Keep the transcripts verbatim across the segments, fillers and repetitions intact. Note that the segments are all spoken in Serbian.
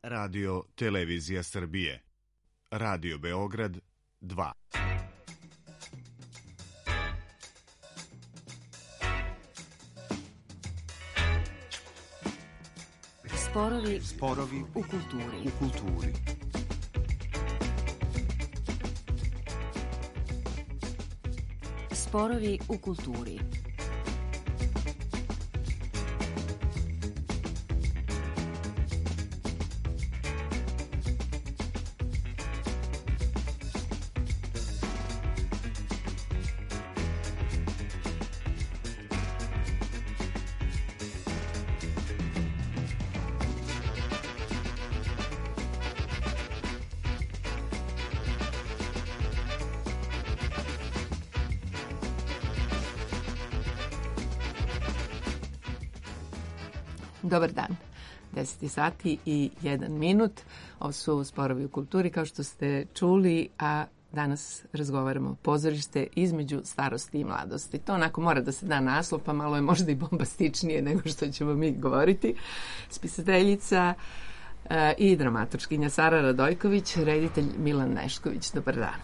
Radio Televizija Srbije. Radio Beograd dva. Sporovi, sporovi u kulturi. U kulturi. Sporovi u kulturi. Dobar dan. deset sati i jedan minut. Ovo su Sporovi u kulturi, kao što ste čuli, a danas razgovaramo pozorište između starosti i mladosti. To onako mora da se da naslov, pa malo je možda i bombastičnije nego što ćemo mi govoriti. Spisateljica e, i dramaturškinja Sara Radojković, reditelj Milan Nešković. Dobar dan.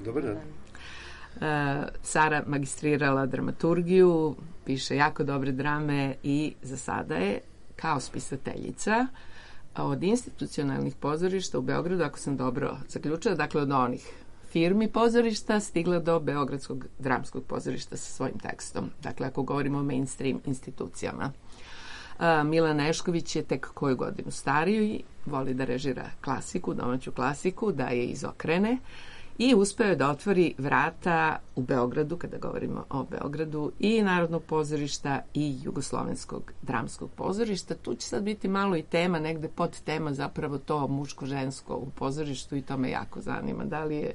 Dobar dan. Uh, Sara magistrirala dramaturgiju, piše jako dobre drame i za sada je kao spisateljica od institucionalnih pozorišta u Beogradu, ako sam dobro zaključila, dakle od onih firmi pozorišta stigla do Beogradskog dramskog pozorišta sa svojim tekstom. Dakle, ako govorimo o mainstream institucijama. Uh, Milan Nešković je tek koju godinu stariju i voli da režira klasiku, domaću klasiku, da je izokrene. I uspeo je da otvori vrata u Beogradu, kada govorimo o Beogradu, i Narodnog pozorišta i Jugoslovenskog dramskog pozorišta. Tu će sad biti malo i tema, negde pod tema zapravo to muško-žensko u pozorištu i to me jako zanima. Da li je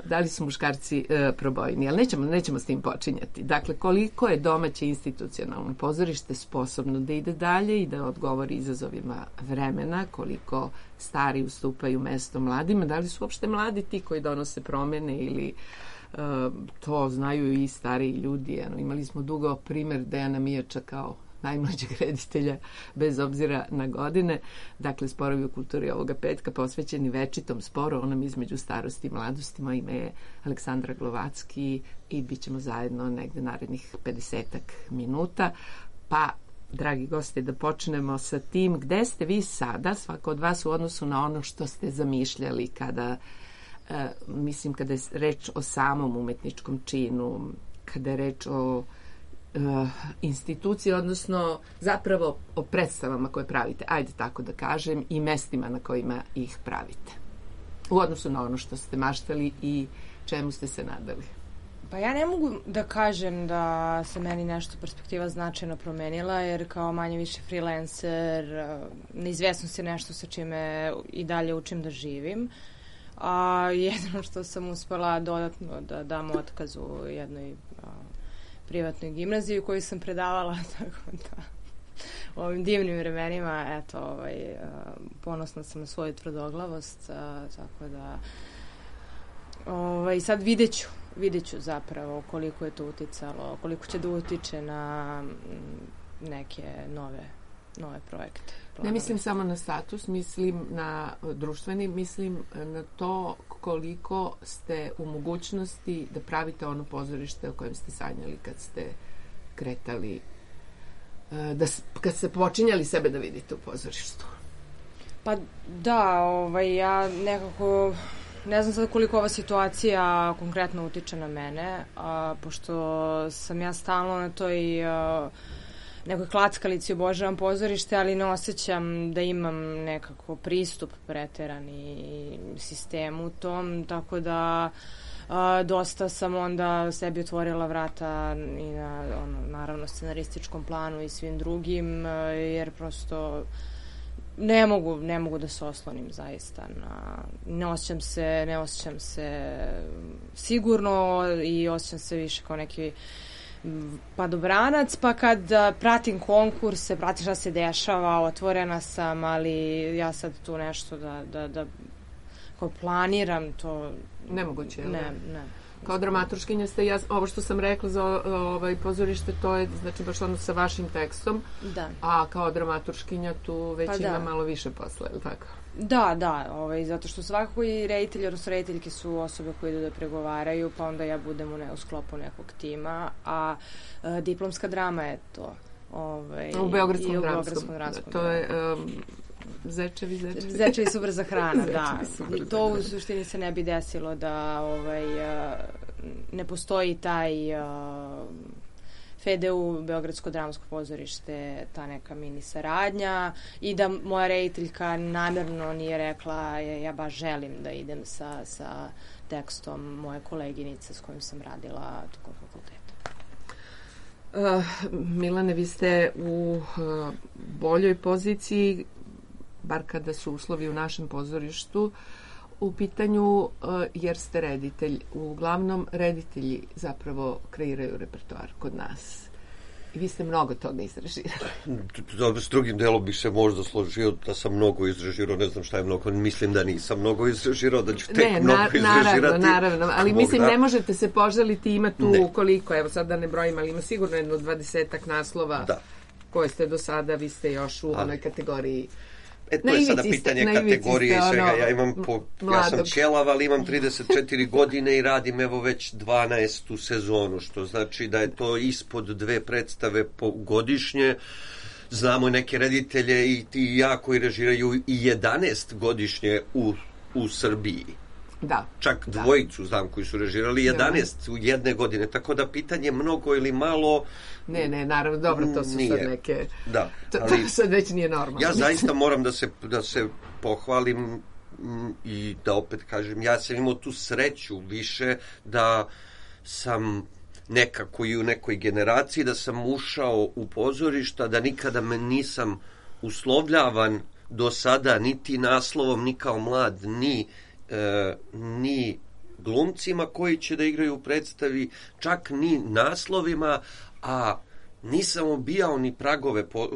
da li su muškarci e, probojni, ali nećemo, nećemo s tim počinjati. Dakle, koliko je domaće institucionalno pozorište sposobno da ide dalje i da odgovori izazovima vremena, koliko stari ustupaju mesto mladima, da li su uopšte mladi ti koji donose promene ili e, to znaju i stariji ljudi. Ano, imali smo dugo primer Dejana Mijača kao najmlađeg reditelja, bez obzira na godine. Dakle, Sporovi u kulturi ovoga petka posvećeni večitom sporu, onom između starosti i mladosti. Moje ime je Aleksandra Glovacki i bit ćemo zajedno negde narednih pedesetak minuta. Pa, dragi gosti, da počnemo sa tim gde ste vi sada, svako od vas u odnosu na ono što ste zamišljali kada, e, mislim, kada je reč o samom umetničkom činu, kada je reč o Uh, institucije, odnosno zapravo o predstavama koje pravite, ajde tako da kažem, i mestima na kojima ih pravite. U odnosu na ono što ste maštali i čemu ste se nadali. Pa ja ne mogu da kažem da se meni nešto perspektiva značajno promenila, jer kao manje više freelancer, neizvesnost je nešto sa čime i dalje učim da živim. A jedino što sam uspela dodatno da dam otkaz u jednoj a, privatnoj gimnaziji u kojoj sam predavala, tako da u ovim divnim vremenima, eto, ovaj, ponosna sam na svoju tvrdoglavost, tako da ovaj, sad vidjet ću, vidjet ću zapravo koliko je to uticalo, koliko će da utiče na neke nove, nove projekte. Ne mislim samo na status, mislim na društveni, mislim na to koliko ste u mogućnosti da pravite ono pozorište o kojem ste sanjali kad ste kretali, da, kad ste počinjali sebe da vidite u pozorištu. Pa da, ovaj, ja nekako ne znam sad koliko ova situacija konkretno utiče na mene, a, pošto sam ja stalno na toj a, nekoj klackalici obožavam pozorište, ali ne osjećam da imam nekako pristup preterani sistemu tom, tako da a, dosta sam onda sebi otvorila vrata i na, ono, naravno, scenarističkom planu i svim drugim, a, jer prosto ne mogu, ne mogu da se oslonim zaista na, ne osjećam se, ne osjećam se sigurno i osjećam se više kao neki padobranac, pa kad uh, pratim konkurse, pratim šta se dešava, otvorena sam, ali ja sad tu nešto da, da, da kao planiram, to nemoguće, ne, ne. Kao dramaturškinja ste, ja, ovo što sam rekla za ovaj pozorište, to je znači baš ono sa vašim tekstom, da. A kao dramaturškinja tu već pa ima da. malo više posla, je li tako? Da, da, ovaj, zato što svakako i reditelji, odnosno rediteljke su osobe koje idu da pregovaraju, pa onda ja budem u, ne, u sklopu nekog tima, a e, diplomska drama je to. Ovaj, u Beogradskom i u dramskom. Beogradskom dramskom. To je um, Zečevi, zečevi. Zečevi su brza hrana, da. Super To u suštini se ne bi desilo da ovaj, ne postoji taj uh, F E D U, Beogradsko dramsko pozorište, ta neka mini saradnja i da moja rediteljka namjerno nije rekla ja baš želim da idem sa, sa tekstom moje koleginice s kojim sam radila tokom fakulteta. Uh, Milane, vi ste u uh, boljoj poziciji, bar kada su uslovi u našem pozorištu u pitanju, uh, jer ste reditelj. Uglavnom, reditelji zapravo kreiraju repertoar kod nas. I vi ste mnogo toga izrežirali. S drugim delom bih se možda složio da sam mnogo izrežirao, ne znam šta je mnogo, mislim da nisam mnogo izrežirao, da ću tek ne, mnogo na, izrežirati. Naravno, naravno, ali Bog mislim da. Ne možete se požaliti, ima tu ne. koliko, evo sad da ne brojim, ali ima sigurno jedno dvadesetak naslova da. koje ste do sada, vi ste još u ali. onoj kategoriji. E, to je sada pitanje ste, kategorije i svega. Ja imam po, ja sam ćelav, ali imam trideset četiri godine i radim evo već dvanaestu sezonu, što znači da je to ispod dve predstave po godišnje. Znamo neke reditelje i ti i ja koji režiraju i jedanaest godišnje u, u Srbiji. Da. Čak da. dvojicu znam koji su režirali jedanaest u jedne godine, tako da pitanje mnogo ili malo. Ne, ne, naravno, dobro, to su nije. sad neke. Da, to, ali, to sad već nije normalno. Ja zaista moram da se, da se pohvalim m, i da opet kažem, ja sam imao tu sreću više da sam nekako i u nekoj generaciji, da sam ušao u pozorišta, da nikada me nisam uslovljavan do sada niti naslovom, ni kao mlad, ni E, ni glumcima koji će da igraju u predstavi, čak ni naslovima, a nisam obijao ni pragove po,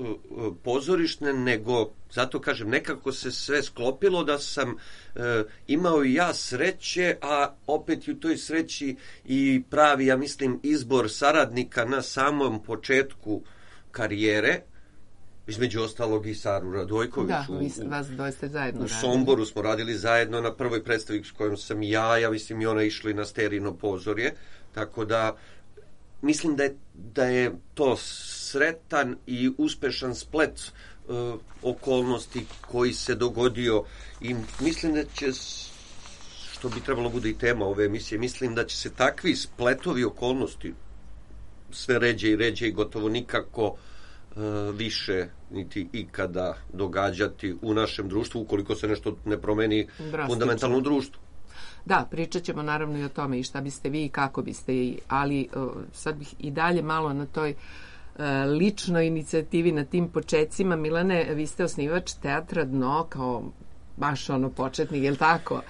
pozorišne, nego, zato kažem, nekako se sve sklopilo da sam e, imao i ja sreće, a opet u toj sreći i pravi, ja mislim, izbor saradnika na samom početku karijere, između ostalog i Saru Radojković. Da, u, vi vas doista zajedno u Somboru smo radili zajedno na prvoj predstavi s kojom sam ja, ja mislim i ona išli na Sterino pozorje, tako da mislim da je, da je to sretan i uspešan splet uh, okolnosti koji se dogodio i mislim da će, što bi trebalo bude i tema ove emisije, mislim da će se takvi spletovi okolnosti sve ređe i ređe i gotovo nikako više niti ikada događati u našem društvu ukoliko se nešto ne promeni drastično fundamentalno u društvu. Da, pričat ćemo naravno i o tome i šta biste vi i kako biste, ali uh, sad bih i dalje malo na toj uh, ličnoj inicijativi, na tim počecima. Milane, vi ste osnivač Teatra Dno kao baš ono početnik, je li tako?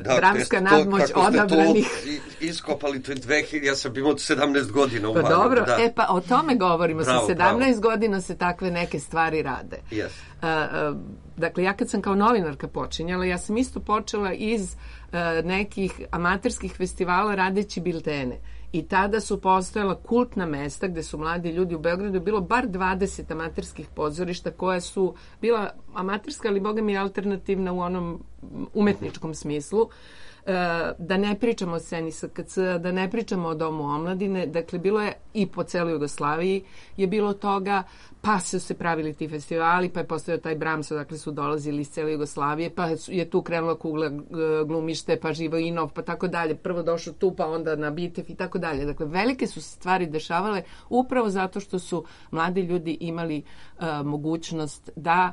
Da, dramska nadmoć odabranih. Iskopali to je dve hiljade, ja sam imao sedamnaest godina u pa Valju. Dobro, da. e pa o tome govorimo, bravo, sa sedamnaest bravo. Godina se takve neke stvari rade. Yes. Uh, uh, dakle, ja kad sam kao novinarka počinjala, ja sam isto počela iz uh, nekih amaterskih festivala radeći biltene. I tada su postojala kultna mesta gde su mladi ljudi u Beogradu, bilo bar dvadeset amaterskih pozorišta koja su bila amaterska, ali boga mi alternativna u onom umetničkom smislu. Da ne pričamo o sceni S K C, da ne pričamo o Domu omladine, dakle bilo je i po celoj Jugoslaviji je bilo toga, pa su se pravili ti festivali, pa je postojao taj Brams, dakle su dolazili iz cele Jugoslavije, pa je tu krenula Kugla glumište, pa Živojinov, pa tako dalje, prvo došao tu, pa onda na Bitev i tako dalje. Dakle, velike su stvari dešavale upravo zato što su mladi ljudi imali uh, mogućnost da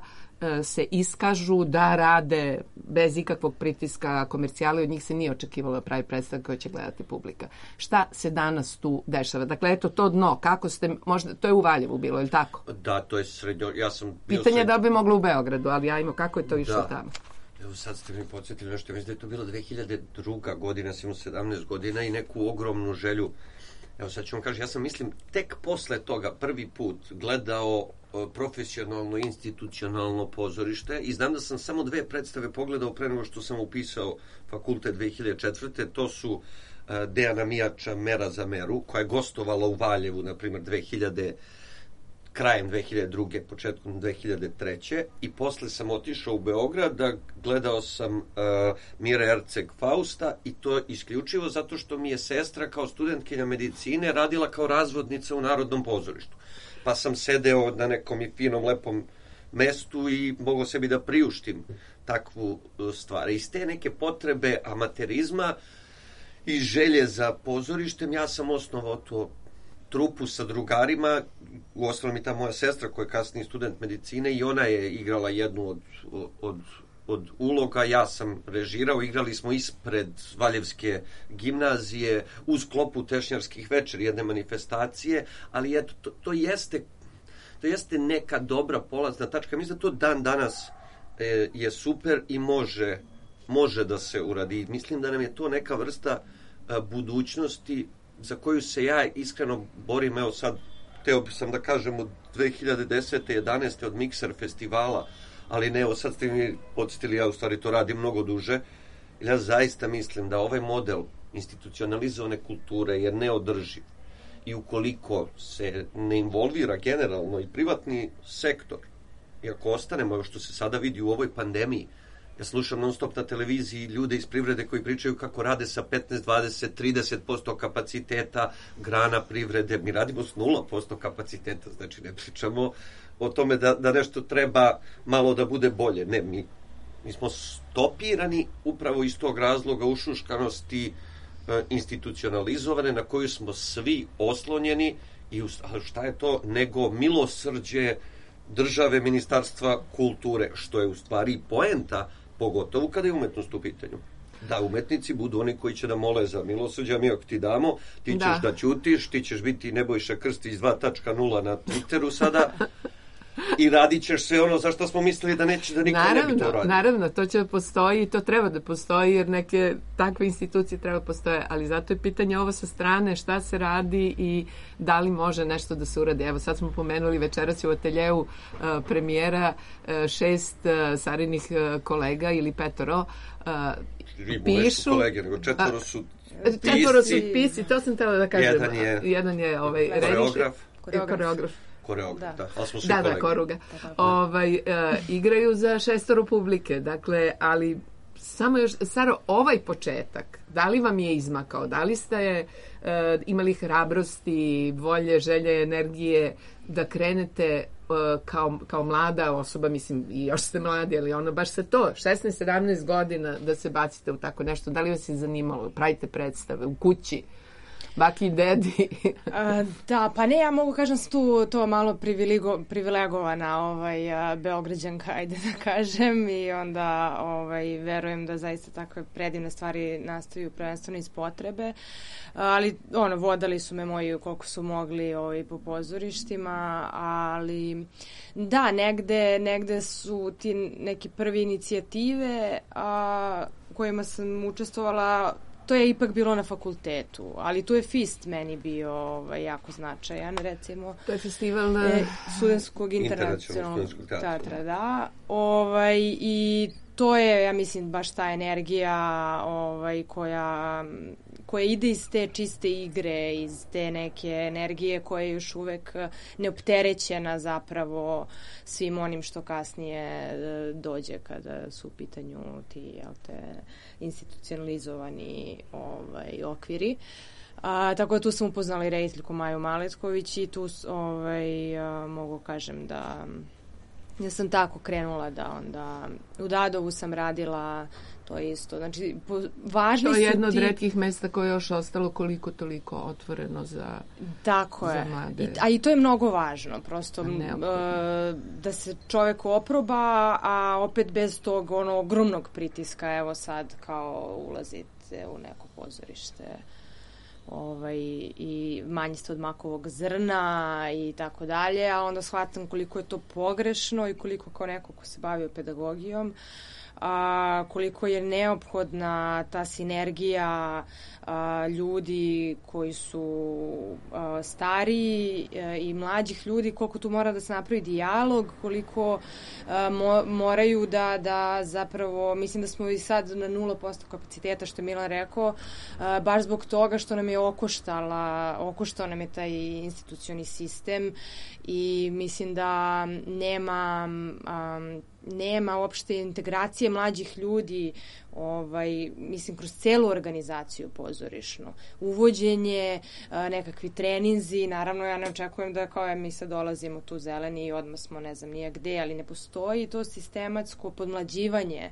se iskažu, da rade bez ikakvog pritiska komercijala i od njih se nije očekivalo da pravi predstav koje će gledati publika. Šta se danas tu dešava? Dakle, eto to dno, kako ste, možda, to je u Valjevu bilo, je li tako? Da, to je srednjo, ja sam bio pitanje srednjo... da bi moglo u Beogradu, ali ja imam kako je to išlo da. Tamo. Evo sad ste mi podsjetili nešto, mislim da je to bilo dve hiljade druga godina, ja sam imao sedamnaest godina i neku ogromnu želju. Evo sad ću vam kažem, ja sam mislim tek posle toga prvi put gledao profesionalno, institucionalno pozorište i znam da sam samo dve predstave pogledao pre nego što sam upisao fakultet dve hiljade četvrte. To su Dejana Mijača Mera za meru, koja je gostovala u Valjevu, na primjer, dve hiljade krajem dve hiljade druge. početkom dve hiljade treće. i posle sam otišao u Beograd da gledao sam uh, Mire Erceg Fausta, i to isključivo zato što mi je sestra kao studentkinja medicine radila kao razvodnica u Narodnom pozorištu. Pa sam sedeo na nekom i finom, lepom mestu i mogao sebi da priuštim takvu stvar. Iz te neke potrebe amaterizma i želje za pozorištem ja sam osnovao to trupu sa drugarima. Uostalom i ta moja sestra koja je kasniji student medicine, i ona je igrala jednu od, od, od uloga. Ja sam režirao, igrali smo ispred Valjevske gimnazije u sklopu Tešnjarskih večeri, jedne manifestacije, ali eto, to, to jeste to jeste neka dobra polazna tačka. Mislim da to dan danas e, je super i može, može da se uradi. Mislim da nam je to neka vrsta a, budućnosti za koju se ja iskreno borim. Evo sad, teo sam da kažem od dve hiljade desete jedanaeste od Mikser festivala, ali ne, evo sad ste mi podsjetili, ja u stvari to radim mnogo duže. Ja zaista mislim da ovaj model institucionalizovane kulture je neodrživ. I ukoliko se ne involvira generalno i privatni sektor, i ako ostanemo, što se sada vidi u ovoj pandemiji, ja slušam non stop na televiziji ljude iz privrede koji pričaju kako rade sa petnaest, dvadeset, trideset posto kapaciteta grana privrede. Mi radimo s nula posto kapaciteta, znači ne pričamo o tome da, da nešto treba malo da bude bolje. Ne, mi, mi smo stopirani upravo iz tog razloga ušuškanosti institucionalizovane na koju smo svi oslonjeni. I šta je to nego milosrđe države, ministarstva kulture, što je u stvari poenta, pogotovo kada je umetnost u pitanju. Da umetnici budu oni koji će da mole za milosrđe, a mi ako ti damo, ti ćeš da, da ćutiš, ti ćeš biti Nebojša Krstić dva tačka nula na Twitteru sada i radit ćeš sve ono za što smo mislili da neće, da niko naravno, ne bi to radio. Naravno, to će da postoji i to treba da postoji, jer neke takve institucije treba da postoje, ali zato je pitanje ovo sa strane, šta se radi i da li može nešto da se uradi. Evo sad smo pomenuli večeras u ateljeu uh, premijera uh, šest uh, Sarinih uh, kolega ili petoro uh, Ribu, pišu. Kolege, nego četvoro su pisci. Četvoro su pisci, to sam htjela da kažem. Jedan je, Jedan je ovaj, koreograf. Koreograf. koreograf. Koreograf, da. da. Ali smo svi da, kolege. Da, koruga. Ovaj, uh, igraju za šestoro publike, dakle, ali samo još, Saro, ovaj početak, da li vam je izmakao? Da li ste uh, imali hrabrosti, volje, želje, energije da krenete uh, kao, kao mlada osoba, mislim, i još ste mladi, ali ono baš se to, šesnaest sedamnaest godina da se bacite u tako nešto? Da li vas je zanimalo? Pravite predstave u kući? Baki i dedi. A, da, pa ne, ja mogu kažem s tu to malo privilegovana ovaj, a, Beograđanka, ajde da kažem, i onda ovaj, verujem da zaista takve predivne stvari nastaju prvenstveno iz potrebe, ali ono, vodali su me moji koliko su mogli ovaj, po pozorištima, ali da, negde, negde su ti neki prvi inicijative a, kojima sam učestvovala. To je ipak bilo na fakultetu, ali tu je FIST meni bio ovaj, jako značajan, recimo. To je festival na... E, Studentskog internacionalnog teatra, da. Ovaj, i to je, ja mislim, baš ta energija ovaj, koja, koja ide iz te čiste igre, iz te neke energije koja je još uvek neopterećena zapravo svim onim što kasnije dođe kada su u pitanju ti, jel te, institucionalizovani ovaj, okviri. A, tako da tu sam upoznala i rediteljku Maju Maletković i tu ovaj, a, mogu kažem da ja sam tako krenula da onda u Dadovu sam radila to isto. Znači, po, važni su ti... To je jedno od retkih mesta koje je još ostalo koliko toliko otvoreno za, tako za je. mlade. I, a i to je mnogo važno. Prosto uh, da se čovek oproba, a opet bez tog ono, ogromnog pritiska. Evo sad kao ulazite u neko pozorište ovaj, i manji ste od makovog zrna i tako dalje, a onda shvatam koliko je to pogrešno i koliko kao neko ko se bavio pedagogijom a, koliko je neophodna ta sinergija a, ljudi koji su a, stariji a, i mlađih ljudi, koliko tu mora da se napravi dijalog, koliko a, mo, moraju da, da zapravo, mislim da smo i sad na nula posto kapaciteta, što je Milan rekao, a, baš zbog toga što nam je okoštala, okoštao nam je taj institucioni sistem i mislim da nema um, nema uopšte integracije mlađih ljudi, ovaj, mislim, kroz celu organizaciju pozorišnu. Uvođenje, a, nekakvi treninzi, naravno ja ne očekujem da kao ja mi sad dolazimo tu zeleni i odmah smo ne znam nije gde, ali ne postoji to sistematsko podmlađivanje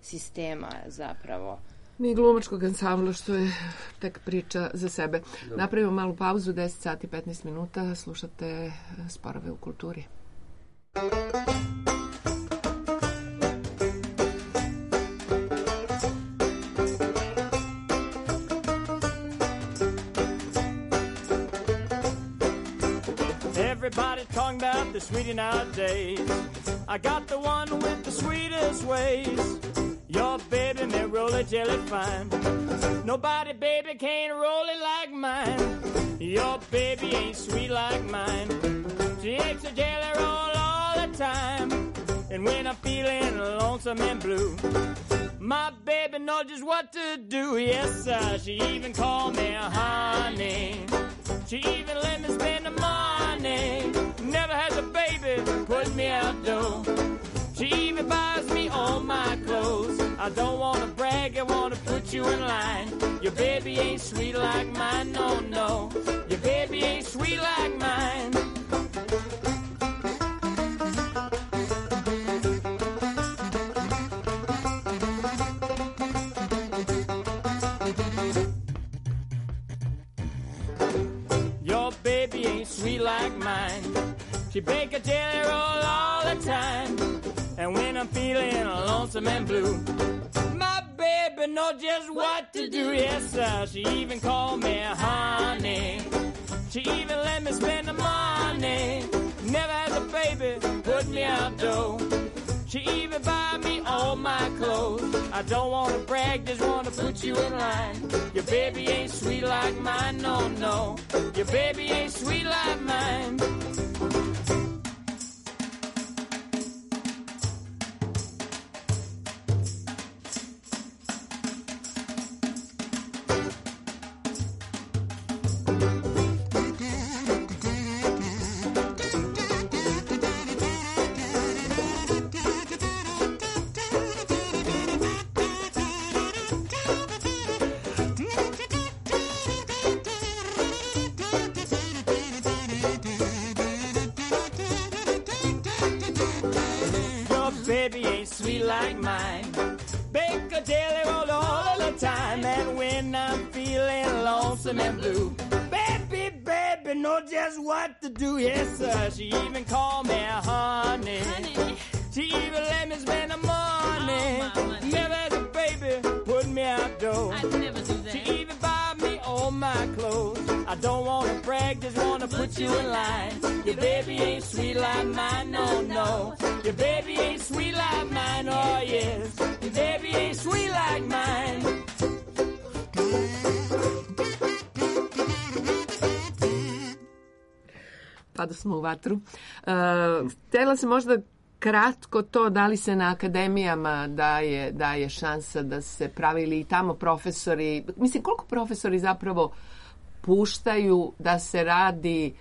sistema zapravo. Ni glumačkog ansambla, što je tek priča za sebe. Dobre. Napravimo malu pauzu, deset sati petnaest minuta, slušate Sporove u kulturi. Everybody talking about the sweetie nowadays. I got the one with the sweetest ways. Your baby may roll it jelly fine. Nobody, baby, can roll it like mine. Your baby ain't sweet like mine. She makes a jelly roll all the time. And when I'm feeling lonesome and blue, my baby knows just what to do. Yes, sir, she even called me honey. She even let me spend the money. Never has a baby put me out though. She even buys me all my clothes. I don't wanna brag, I wanna put you in line. Your baby ain't sweet like mine, no, no. Your baby ain't sweet like mine. Your baby ain't sweet like mine. She bake a jelly roll all the time. And when I'm feeling lonesome and blue, my baby knows just what to do. Yes, sir, she even called me honey. She even let me spend the money. Never has a baby put me out though. She even buy me all my clothes. I don't wanna brag, just wanna put you in line. Your baby ain't sweet like mine, no, no. Your baby ain't sweet like mine. Baby ain't sweet like mine. Bake a jelly roll all the time. And when I'm feeling lonesome and blue, baby, baby, know just what to do. Yes, sir, she even called me honey. honey. She even let me spend the money. Oh, never as a baby put me out though. I'd never do that. She even buy me all my clothes. I don't wanna brag, just wanna put you in line. Your baby ain't sweet like mine, no, no. Your baby ain't sweet like mine, oh yes. Your baby ain't sweet like mine. Pa da smo u vatru. Uh, htjela se možda kratko to, da li se na akademijama daje, daje šansa da se pravi ili i tamo profesori, mislim koliko profesori zapravo puštaju da se radi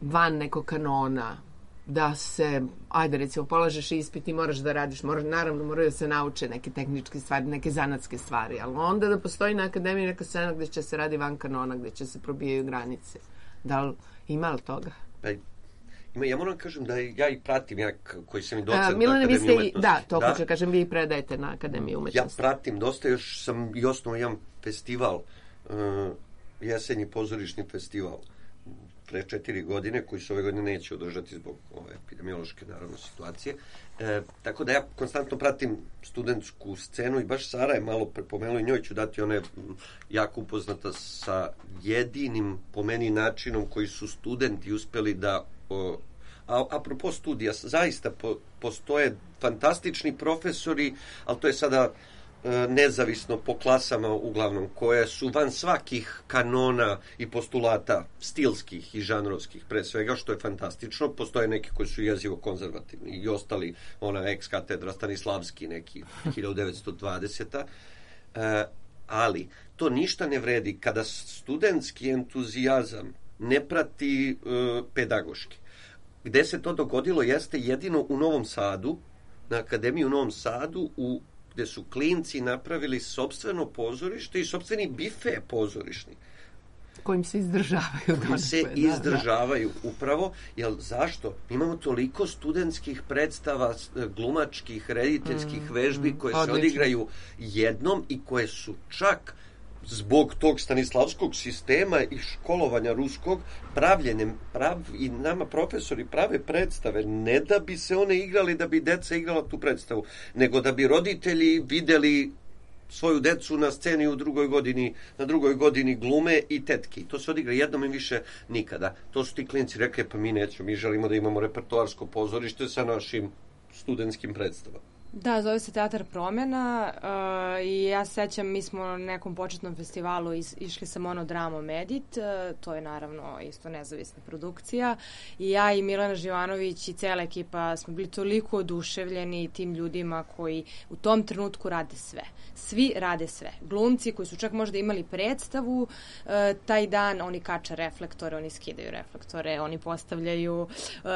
van nekog kanona, da se, ajde recimo, polažeš ispit i moraš da radiš, moraš, naravno moraju da se nauče neke tehničke stvari, neke zanatske stvari, ali onda da postoji na akademiji neka scena gde će se radi van kanona, gde će se probijaju granice. Da li ima li toga? Pa, ima, ja moram kažem da ja i pratim, ja koji sam i docent na Milane, Akademiji vi umetnosti. Da, to da, hoću kažem, vi predajete na Akademiji umetnosti. Ja pratim dosta, još sam i osnovao jedan festival, uh, jesenji pozorišni festival pre četiri godine, koji se ove godine neće održati zbog ove epidemiološke, naravno, situacije. E, tako da ja konstantno pratim studentsku scenu i baš Sara je malo prepomenula i njoj ću dati, ona je jako upoznata sa jedinim, po meni, načinom koji su studenti uspeli da o, A apropo studija, zaista po, postoje fantastični profesori, ali to je sada e, nezavisno po klasama uglavnom, koje su van svakih kanona i postulata stilskih i žanrovskih, pre svega, što je fantastično. Postoje neki koji su jezivo konzervativni i ostali, ona ex katedra Stanislavski, neki hiljadu devetsto dvadeseta. E, ali to ništa ne vredi kada studentski entuzijazam ne prati e, pedagoški. Gde se to dogodilo jeste jedino u Novom Sadu, na Akademiji u Novom Sadu, u, gde su klinci napravili sopstveno pozorište i sopstveni bife pozorišni. Kojim se izdržavaju. Kojim se izdržavaju, da, da. Upravo. Jer zašto? Imamo toliko studentskih predstava, glumačkih, rediteljskih mm, vežbi mm, koje odlično se odigraju jednom i koje su čak zbog tog stanislavskog sistema i školovanja ruskog pravljene, prav, i nama profesori prave predstave, ne da bi se one igrali, da bi deca igrala tu predstavu, nego da bi roditelji videli svoju decu na sceni u drugoj godini, na drugoj godini glume i tetki. To se odigra jednom i više nikada. To su ti klinci rekli, pa mi nećemo, mi želimo da imamo repertoarsko pozorište sa našim studentskim predstavama. Da, zove se Teatar promjena uh, i ja se sećam, mi smo na nekom početnom festivalu iz, išli sa monodramom Edit, uh, to je naravno isto nezavisna produkcija, i ja i Milana Živanović i cela ekipa smo bili toliko oduševljeni tim ljudima koji u tom trenutku rade sve. Svi rade sve. Glumci koji su čak možda imali predstavu, uh, taj dan oni kače reflektore, oni skidaju reflektore, oni postavljaju uh,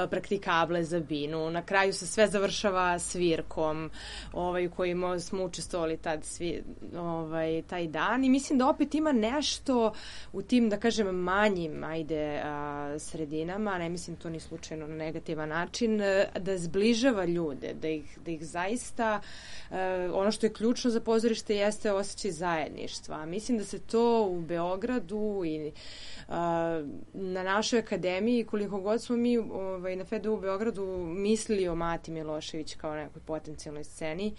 praktikable za binu, na kraju se sve završava svirkom, ovaj, u kojima smo učestvovali tad svi, ovaj, taj dan, i mislim da opet ima nešto u tim, da kažem, manjim ajde a, sredinama, ne mislim to ni slučajno na negativan način, da zbližava ljude, da ih, da ih zaista a, ono što je ključno za pozorište jeste osjećaj zajedništva. Mislim da se to u Beogradu i a, na našoj akademiji, koliko god smo mi ovaj, na F E D U u Beogradu mislili o Mati Milošević kao nekoj potencijalnoj sceni,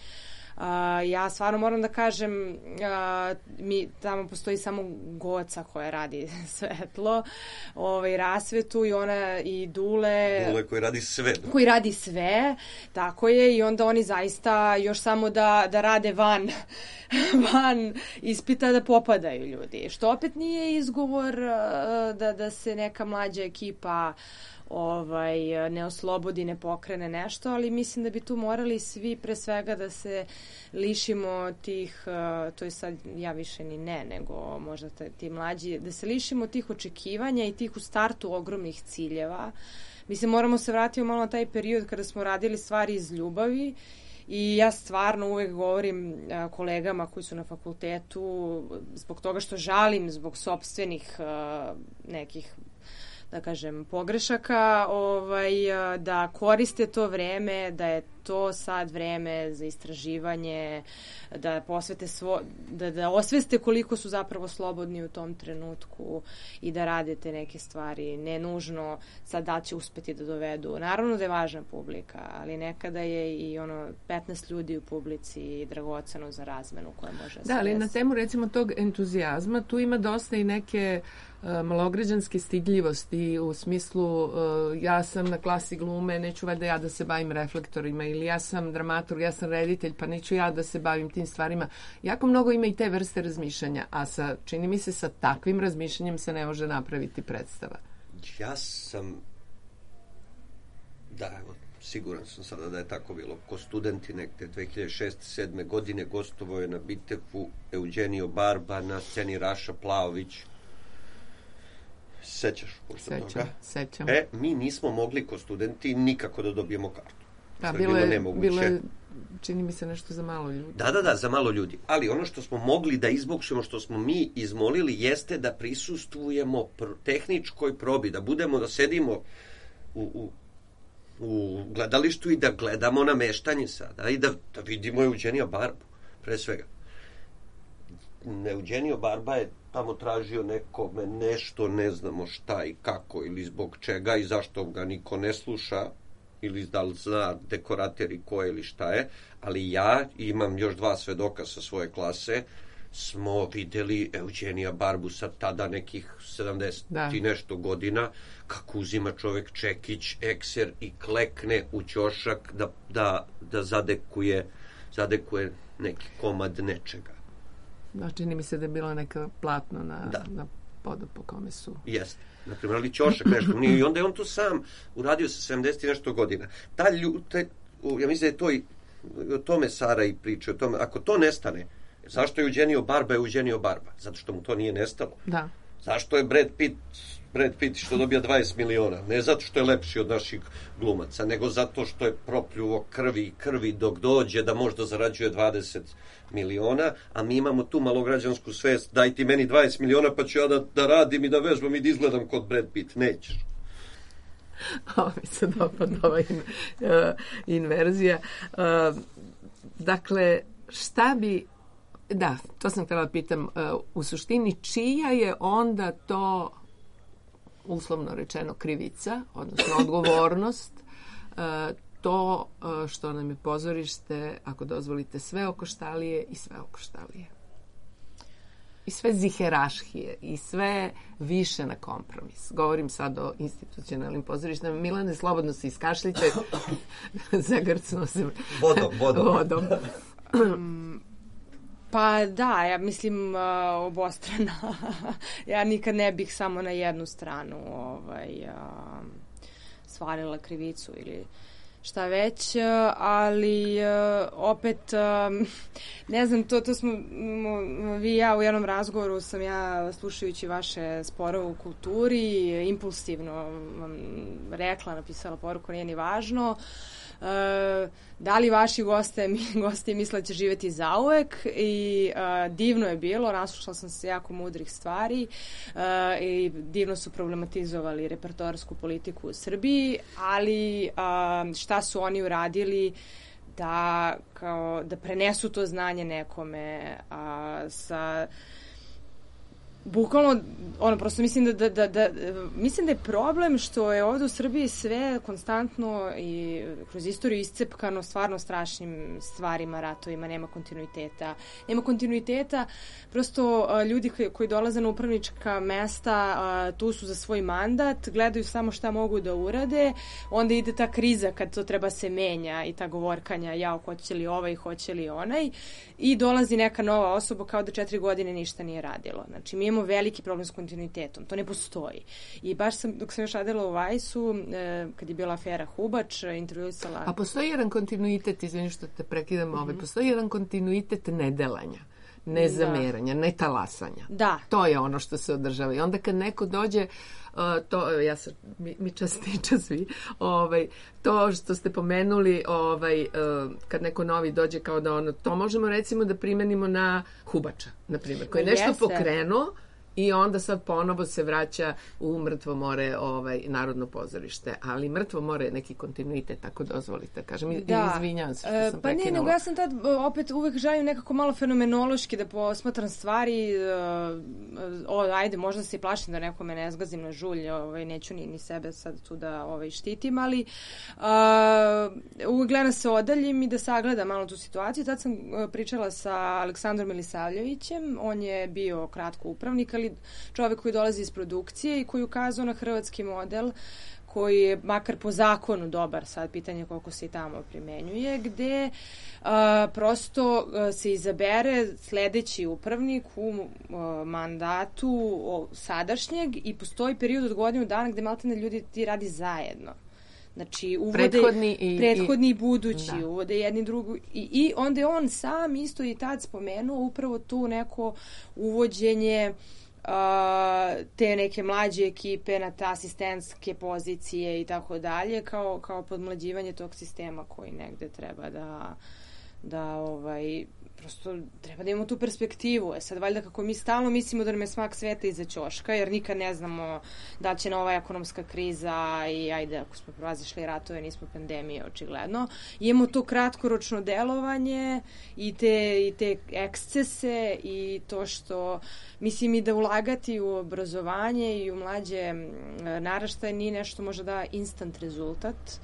Uh, ja stvarno moram da kažem, uh, mi, tamo postoji samo Goca koja radi svetlo, ovaj, rasvetu, i ona i Dule. Dule koji radi sve. Koji radi sve, tako je, i onda oni zaista još samo da, da rade van, van ispita da popadaju ljudi. Što opet nije izgovor uh, da, da se neka mlađa ekipa ovaj, ne oslobodi, ne pokrene nešto, ali mislim da bi tu morali svi pre svega da se lišimo tih, to je sad ja više ni ne, nego možda ti mlađi, da se lišimo tih očekivanja i tih u startu ogromnih ciljeva. Mislim, moramo se vratiti malo na taj period kada smo radili stvari iz ljubavi, i ja stvarno uvek govorim a, kolegama koji su na fakultetu, zbog toga što žalim zbog sopstvenih a, nekih, da kažem, pogrešaka, ovaj, da koriste to vreme, da je to sad vreme za istraživanje, da posvete svo, da, da osveste koliko su zapravo slobodni u tom trenutku i da radite neke stvari. Ne nužno sad da će uspeti da dovedu. Naravno da je važna publika, ali nekada je i ono petnaest ljudi u publici dragoceno za razmenu koja može da, ali na temu recimo tog entuzijazma tu ima dosta i neke uh, malograđanske stidljivosti u smislu uh, ja sam na klasi glume, neću valjda ja da se bavim reflektorima, ili ja sam dramaturg, ja sam reditelj, pa neću ja da se bavim tim stvarima. Jako mnogo ima i te vrste razmišljanja, a sa, čini mi se sa takvim razmišljanjem se ne može napraviti predstava. Ja sam, da, evo, siguran sam sada da je tako bilo. Ko studenti nekde dve hiljade šeste sedme godine gostovao je na Bitefu Eugenio Barba, na sceni Raša Plaović. Sećaš pošto toga? Sećam. E, mi nismo mogli ko studenti nikako da dobijemo kartu. Da, bilo je, bilo je, čini mi se, nešto za malo ljudi. Da, da, da, za malo ljudi. Ali ono što smo mogli da izbokšemo, što smo mi izmolili, jeste da prisustvujemo pr- tehničkoj probi, da budemo, da sedimo u, u, u gledalištu i da gledamo nameštanje sada i da, da vidimo Eugenija Barbu, pre svega. Eugenio Barba je tamo tražio nekome nešto, ne znamo šta i kako ili zbog čega i zašto ga niko ne sluša, ili da li zna dekorateri ko je ili šta je, ali ja imam još dva svedoka sa svoje klase smo vidjeli Eugenija Barbusa, tada nekih sedamdeset da. I nešto godina, kako uzima čovjek čekić, ekser i klekne u ćošak da, da, da zadekuje, zadekuje neki komad nečega. Da, čini mi se da je bilo neka platno na, da. Na podu po kome su. Jeste. Naprimjer, ali ćošak nešto. I onda je on to sam uradio sa sedamdeset i nešto godina. Ta ljute, ja mislim da je to i o tome Sara i priča, o tome, ako to nestane, zašto je Eugenio Barba Eugenio Barba? Zato što mu to nije nestalo. Da. Zašto je Brad Pitt Brad Pitt što dobija dvadeset miliona? Ne zato što je lepši od naših glumaca, nego zato što je propljuvo krvi i krvi dok dođe da možda zarađuje dvadeset miliona, a mi imamo tu malograđansku svest, daj ti meni dvadeset miliona pa ću ja da, da radim i da vežbam i da izgledam kod Brad Pitt. Nećeš. Ovo mi se dopada ova in, uh, inverzija. Uh, dakle, šta bi, da, to sam htjela da pitam, uh, u suštini čija je onda to, uslovno rečeno, krivica, odnosno odgovornost, uh, to uh, što nam je pozorište, ako dozvolite, sve okoštalije i sve okoštalije. I sve ziherašhije i sve više na kompromis. Govorim sad o institucionalnim pozorištima. Milane, slobodno se iskašljite. Zagrcno se vodom. vodom. vodom. Pa da, ja mislim uh, obostrana. Ja nikad ne bih samo na jednu stranu ovaj, uh, stvarila krivicu ili šta već, ali opet ne znam, to, to smo vi i ja u jednom razgovoru sam ja slušajući vaše sporove u kulturi impulsivno vam rekla, napisala poruku, nije ni važno. Uh, da li vaši goste, mi, gosti misle da će živjeti zauvek i uh, divno je bilo, naslušala sam se jako mudrih stvari uh, i divno su problematizovali repertoarsku politiku u Srbiji, ali uh, šta su oni uradili da, kao, da prenesu to znanje nekome uh, sa bukvalno, ono, prosto mislim da, da, da, da, mislim da je problem što je ovdje u Srbiji sve konstantno i kroz istoriju iscepkano stvarno strašnim stvarima, ratovima, nema kontinuiteta. Nema kontinuiteta, prosto a, ljudi koji, koji dolaze na upravnička mesta, a, tu su za svoj mandat, gledaju samo šta mogu da urade, onda ide ta kriza kad to treba se menja i ta govorkanja, jao, hoće li ovaj, hoće li onaj, i dolazi neka nova osoba kao da četiri godine ništa nije radilo. Znači, mi imamo veliki problem s kontinuitetom. To ne postoji. I baš sam, dok sam još radila u Vajsu, eh, kad je bila afera Hubač, intervjuisala... A postoji jedan kontinuitet, izvini što te prekidam, mm-hmm. ovaj, postoji jedan kontinuitet nedelanja, nezameranja, da. Netalasanja. Da. To je ono što se održava. I onda kad neko dođe, uh, to, ja sam, mi, mi čas priča svi, ovaj, to što ste pomenuli, ovaj, uh, kad neko novi dođe kao da ono, to možemo recimo da primenimo na Hubača, na primjer, koji je nešto Jeste. pokrenuo, i onda sad ponovo se vraća u Mrtvo more, ovaj, Narodno pozorište. Ali Mrtvo more je neki kontinuitet, ako dozvolite. Kažem, da. Izvinjam se što sam pa prekinula. Pa ne, nego ja sam tad opet uvek želim nekako malo fenomenološki da posmatram stvari. O, ajde, možda se i plašim da nekome ne zgazim na žulj, ovaj, neću ni, ni sebe sad tu da ovaj, štitim, ali uh, uvek gledam se odaljim i da sagledam malo tu situaciju. Tad sam pričala sa Aleksandrom Milisavljevićem, on je bio kratko upravnik, ali čovjek koji dolazi iz produkcije i koji ukazao na hrvatski model koji je makar po zakonu dobar, sad pitanje koliko se i tamo primenjuje, gde a, prosto a, se izabere sledeći upravnik u a, mandatu o, sadašnjeg i postoji period od godinu dana gde maltene ljudi ti radi zajedno. Znači, uvode prethodni i, prethodni i budući, da. Uvode jedni drugu i, i onda je on sam isto i tad spomenuo upravo tu neko uvođenje Uh, te neke mlađe ekipe na te asistentske pozicije i tako dalje, kao, kao podmlađivanje tog sistema koji negde treba da, da ovaj, prosto treba da imamo tu perspektivu. E sad, valjda kako mi stalno mislimo da nam je smak sveta iza ćoška, jer nikad ne znamo da će nova ekonomska kriza i ajde, ako smo prevazišli ratove, nismo pandemije, očigledno. Imamo to kratkoročno delovanje i te, i te ekscese i to što mislim i da ulagati u obrazovanje i u mlađe naraštaje nije nešto možda da instant rezultat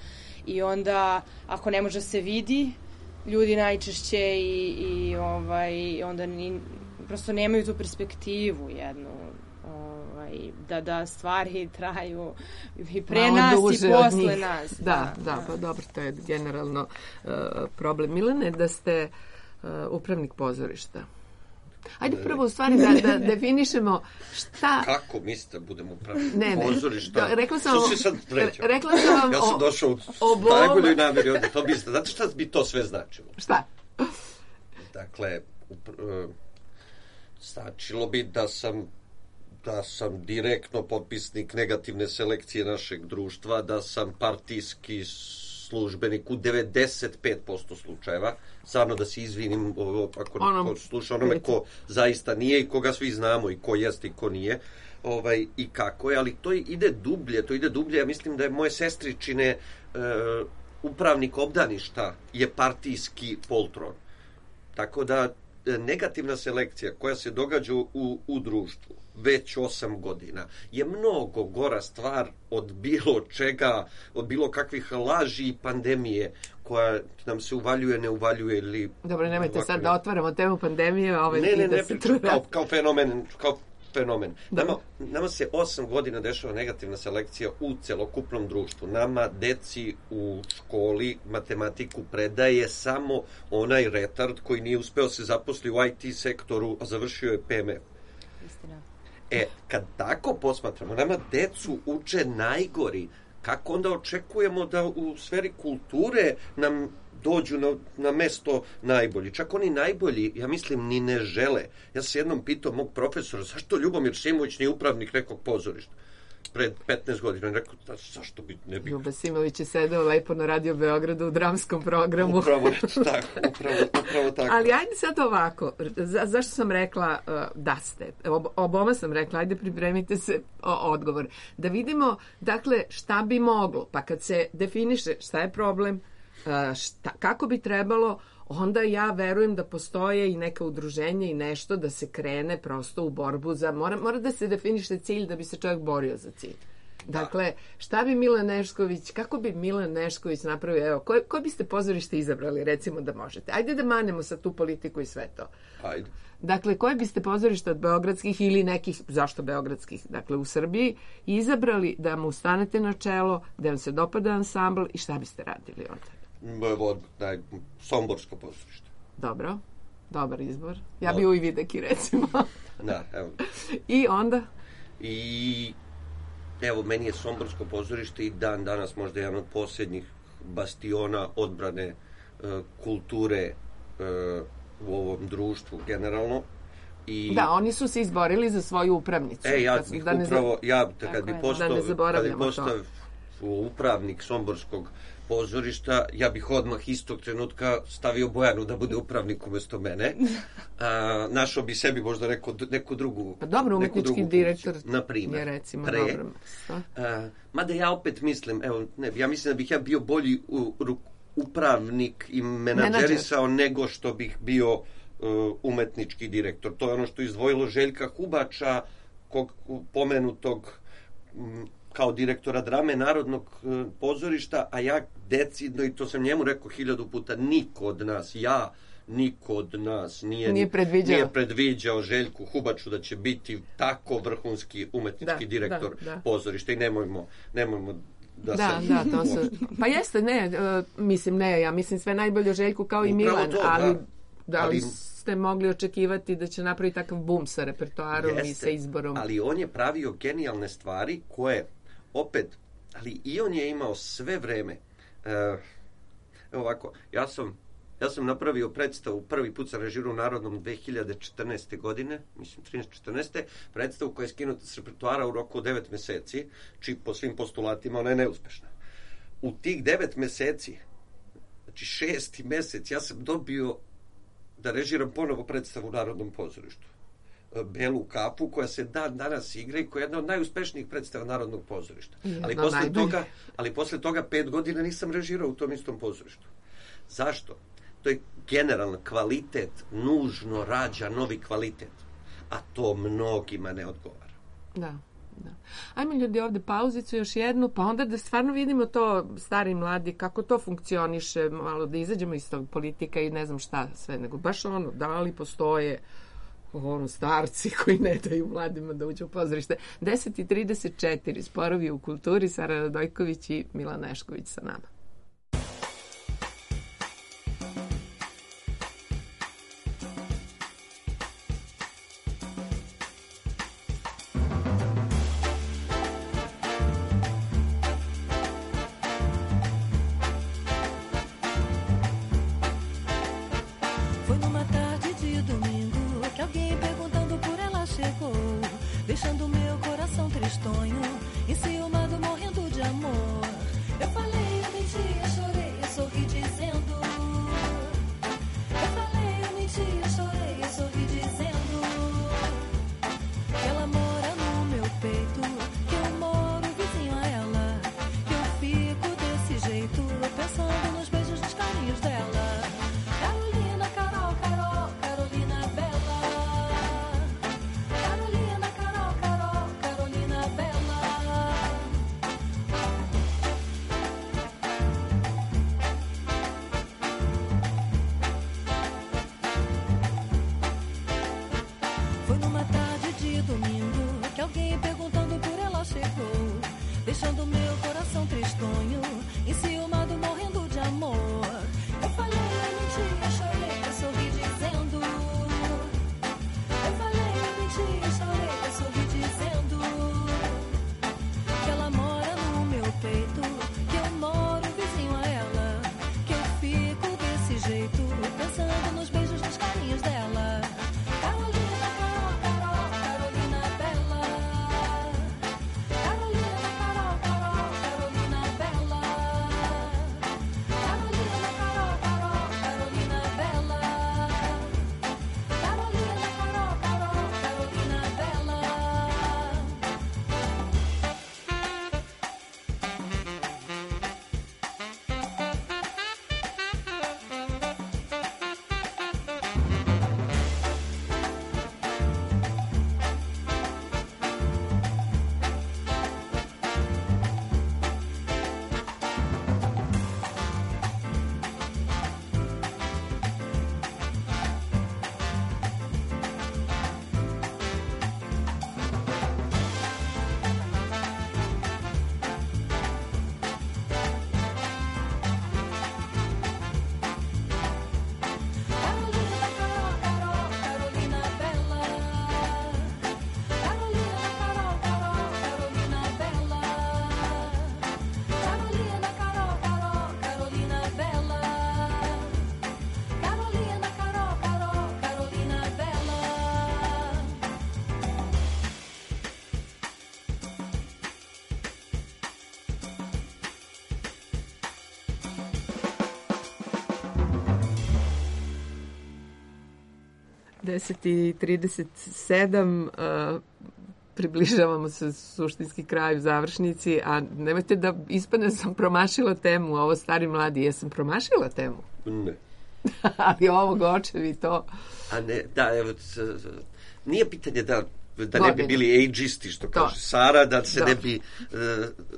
i onda ako ne može se vidi ljudi najčešće i, i ovaj, onda ni, prosto nemaju tu perspektivu jednu, ovaj, da, da stvari traju i pre Malo nas i posle njih. nas. Da, Da, da, da, pa dobro, to je generalno uh, problem. Milane, da ste uh, upravnik pozorišta. Ajde prvo u stvari da, da definišemo šta... Kako mislite da budemo upravnik ne, ne, pozorišta? Rekla sam, Što si sad vređao? Rekla sam vam ja sam došao u obo... najboljoj namjeri ovdje. To biste, znate šta bi to sve značilo? Šta? Dakle, upr, uh, značilo bi da sam da sam direktno potpisnik negativne selekcije našeg društva, da sam partijski službenik u devedeset pet posto slučajeva. Stvarno da se izvinim ako Onom, ko sluša onome ko zaista nije i koga svi znamo i ko jeste i ko nije. Ovaj, i kako je, ali to ide dublje, to ide dublje. Ja mislim da je moje sestričine e, upravnik obdaništa je partijski poltron. Tako da negativna selekcija koja se događa u, u društvu već osam godina je mnogo gora stvar od bilo čega, od bilo kakvih laži i pandemije koja nam se uvaljuje, ne uvaljuje ili... Dobro, nemojte sad da otvaramo temu pandemije. Ovaj ne, ne, da ne, se pričam kao, kao fenomen, kao fenomen. Nama, nama se osam godina dešava negativna selekcija u celokupnom društvu. Nama deci u školi matematiku predaje samo onaj retard koji nije uspeo se zaposli u I T sektoru, a završio je P M F. istina. E, kad tako posmatramo, nama decu uče najgori, kako onda očekujemo da u sferi kulture nam dođu na, na mesto najbolji. Čak oni najbolji, ja mislim, ni ne žele. Ja sam jednom pitao mog profesora, zašto Ljubomir Simović nije upravnik nekog pozorišta? Pred petnaest godina. On rekao, da, zašto bi ne bi... Ljuba Simović je sedeo lepo na Radio Beogradu u dramskom programu. Upravo tako, upravo, upravo tako. Ali ajde sad ovako, za, zašto sam rekla uh, da ste? Ob, oboma sam rekla, ajde pripremite se o, odgovor. Da vidimo, dakle, šta bi moglo, pa kad se definiše šta je problem, uh, šta, kako bi trebalo, onda ja verujem da postoje i neka udruženja i nešto da se krene prosto u borbu za... Mora, mora da se definiše cilj da bi se čovjek borio za cilj. Dakle, šta bi Milan Nešković, kako bi Milan Nešković napravio, evo, koje, koje biste pozorište izabrali, recimo da možete? Ajde da manemo sa tu politiku i sve to. Ajde. Dakle, koje biste pozorište od beogradskih ili nekih, zašto beogradskih, dakle u Srbiji, izabrali da mu stanete na čelo, da vam se dopada ansambl i šta biste radili onda? Od, daj, Somborsko pozorište. Dobro, dobar izbor. Ja bi u Ivideki, recimo. Da, evo. I onda? I evo, meni je Somborsko pozorište i dan danas možda jedan od posljednjih bastiona odbrane uh, kulture uh, u ovom društvu generalno. I da, oni su se izborili za svoju upravnicu. E, ja da ne upravo, ja, kad bi postao, da kad bi postao upravnik Somborskog pozorišta, ja bih odmah istog trenutka stavio Bojanu da bude upravnik umjesto mene. A, našao bi sebi možda neku, neku drugu... Pa dobro, umetnički direktor na primjer, je recimo pre. dobro. A, mada ja opet mislim, evo, ne, ja mislim da bih ja bio bolji u, u, upravnik i menadžerisao nego što bih bio uh, umetnički direktor. To je ono što je izdvojilo Željka Hubača, kog pomenutog m, kao direktora drame Narodnog e, pozorišta, a ja decidno, i to sam njemu rekao hiljadu puta, niko od nas, ja, niko od nas nije, nije, predviđao. nije predviđao Željku Hubaču da će biti tako vrhunski umetnički da, direktor da, da. pozorišta i nemojmo, nemojmo da, da se... Da, to su... Pa jeste, ne, uh, mislim, ne, ja mislim sve najbolje o Željku kao i Upravo Milan, to, ali da, da li ali... ste mogli očekivati da će napraviti takav bum sa repertoarom Jeste, i sa izborom? Ali on je pravio genijalne stvari koje opet, ali i on je imao sve vreme. Uh, ovako, ja sam, ja sam napravio predstavu, prvi put sam režirao u Narodnom dve hiljade četrnaeste. godine, mislim trinaeste četrnaeste. predstavu koja je skinuta s repertoara u roku od devet meseci, či po svim postulatima ona je neuspešna. U tih devet meseci, znači šesti mesec, ja sam dobio da režiram ponovo predstavu u Narodnom pozorištu. Belu kapu, koja se dan danas igra i koja je jedna od najuspešnijih predstava Narodnog pozorišta. Ali posle, toga, ali posle toga pet godina nisam režirao u tom istom pozorištu. Zašto? To je generalno kvalitet, nužno rađa novi kvalitet. A to mnogima ne odgovara. Da. Da. Ajmo ljudi ovde pauzicu još jednu, pa onda da stvarno vidimo to, stari i mladi, kako to funkcioniše, malo da izađemo iz tog politika i ne znam šta sve, nego baš ono, da li postoje ono, starci koji ne daju mladima da uđu u pozorište. deset i trideset četiri, Sporovi u kulturi, Sara Radojković i Milan Nešković sa nama. Deixando meu coração tristonho, enciumado, morrendo de amor. Eu falei, eu menti, eu chorei, eu sorri dizendo. Eu falei, eu menti, eu chorei, eu sorri dizendo. Que ela mora no meu peito, que eu moro vizinho a ela. Que eu fico desse jeito, pensando nos beijos, nos carinhos dela. Carolina, Carol, Carol, Carolina Bela. Carolina, Carol, Carol, Carolina Bela. Foi numa tarde de domingo que alguém perguntando por ela chegou, deixando meu coração tristonho, enciumado, morrendo de amor. Eu falei, eu menti, eu chorei, eu sorri dizendo. Eu falei, eu menti, eu chorei, eu sorri dizendo. Que ela mora no meu peito, que eu moro vizinho a ela. Que eu fico desse jeito, pensando nos beijos, nos carinhos dela. Carolina, Carol, Carol, Carolina Bela. Carolina, Carol, Carol, Carolina Bela. Carolina, Carol, Carol, Carolina Bela. Carolina, Carol, Carol, Carolina Bela. Carolina, Carol, Carol, Carolina Bela. Carolina, Carol, Carol, Carolina Bela. Carolina, Carol, Carol, Carolina Bela. Carolina, Carol, Carol, Carolina Bela. deset i trideset sedam, uh, približavamo se suštinski kraju, završnici, a nemojte da ispadne sam promašila temu, ovo stari mladi, jesam promašila temu? Ne. Ali ovog očevi to... A ne, da, evo, c- nije pitanje da da ne bi Godine. bili age'isti, što kaže To. Sara, da se Da. ne bi, e,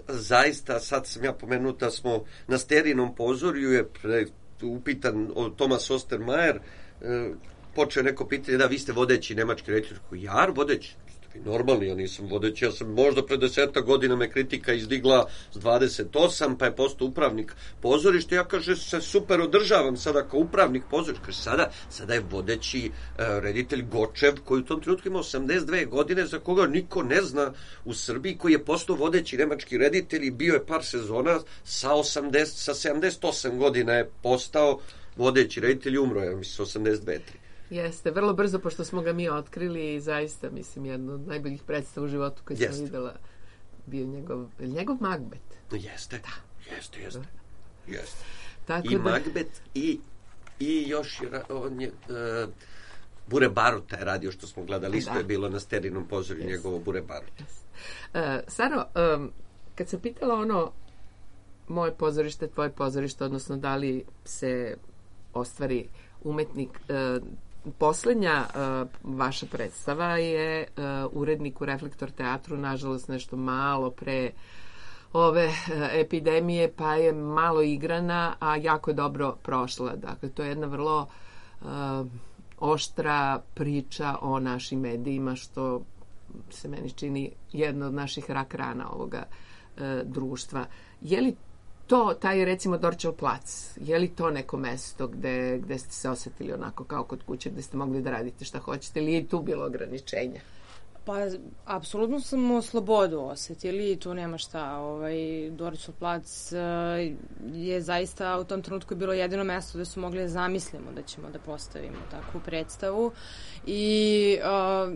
zaista, sad sam ja pomenuo da smo na Sterinom pozorju je pre, upitan od Thomas Ostermayer, e, počeo neko pitanje, da vi ste vodeći nemački reditelj, ja vodeći, ste vi normalni, ja nisam vodeći, ja sam možda pre deseta godina me kritika izdigla s dvadeset osam, pa je postao upravnik pozorišta, ja kaže se super održavam sada kao upravnik pozorišta, kaže sada, sada je vodeći uh, reditelj Gočev, koji u tom trenutku ima osamdeset dve godine, za koga niko ne zna u Srbiji, koji je postao vodeći nemački reditelj i bio je par sezona sa osamdeset, sa sedamdeset osam godina je postao vodeći reditelj i umro je, mislim, osamdeset dve tri. Jeste, vrlo brzo, pošto smo ga mi otkrili i zaista, mislim, jedno od najboljih predstava u životu koji sam Jeste. videla bio njegov, njegov Macbeth. Jeste, da. Jeste, jeste. Jeste. Tako I da- Macbeth i, i još je, ra- on je, uh, Bure Baruta je radio, što smo gledali, isto Da. je bilo na Sterinom pozorju Jeste. njegovo Bure Baruta. Uh, Saro, um, kad sam pitala ono moje pozorište, tvoje pozorište, odnosno da li se ostvari umetnik, uh, poslednja uh, vaša predstava je uh, urednik u Reflektor teatru, nažalost nešto malo pre ove uh, epidemije, pa je malo igrana, a jako je dobro prošla. Dakle, to je jedna vrlo uh, oštra priča o našim medijima, što se meni čini jedna od naših rak rana ovoga e, društva. Je li to, taj recimo Dorćol plac, je li to neko mesto gde, gde ste se osetili onako kao kod kuće, gde ste mogli da radite šta hoćete, ili je i tu bilo ograničenja? Pa, apsolutno smo slobodu osetili i tu nema šta. Ovaj, Dorćol plac uh, je zaista u tom trenutku bilo jedino mesto gde su mogli da zamislimo da ćemo da postavimo takvu predstavu i uh,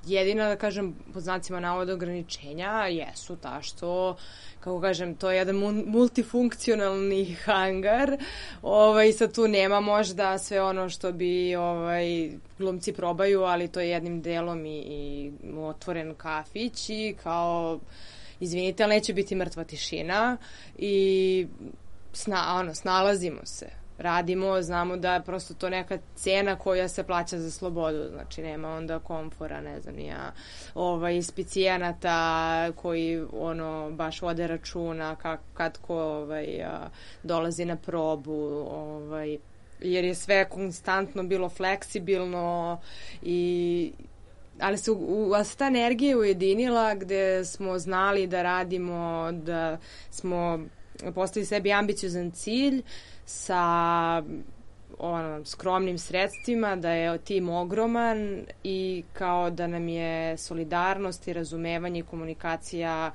jedina, da kažem, pod znacima navoda ograničenja jesu ta što, kako kažem, to je jedan multifunkcionalni hangar. Ovaj, sad tu nema možda sve ono što bi ovaj, glumci probaju, ali to je jednim delom i, i otvoren kafić i kao, izvinite, ali neće biti mrtva tišina i sna, ono, snalazimo se. Radimo, znamo da je prosto to neka cena koja se plaća za slobodu, znači nema onda komfora, ne znam, ja, ovaj, specijenata koji ono baš vode računa kak, kad ko ovaj, a, dolazi na probu, ovaj, jer je sve konstantno bilo fleksibilno i ali se, u, ali se ta energija ujedinila gde smo znali da radimo, da smo postavili sebi ambiciozan cilj sa ono, skromnim sredstvima, da je tim ogroman i kao da nam je solidarnost i razumevanje i komunikacija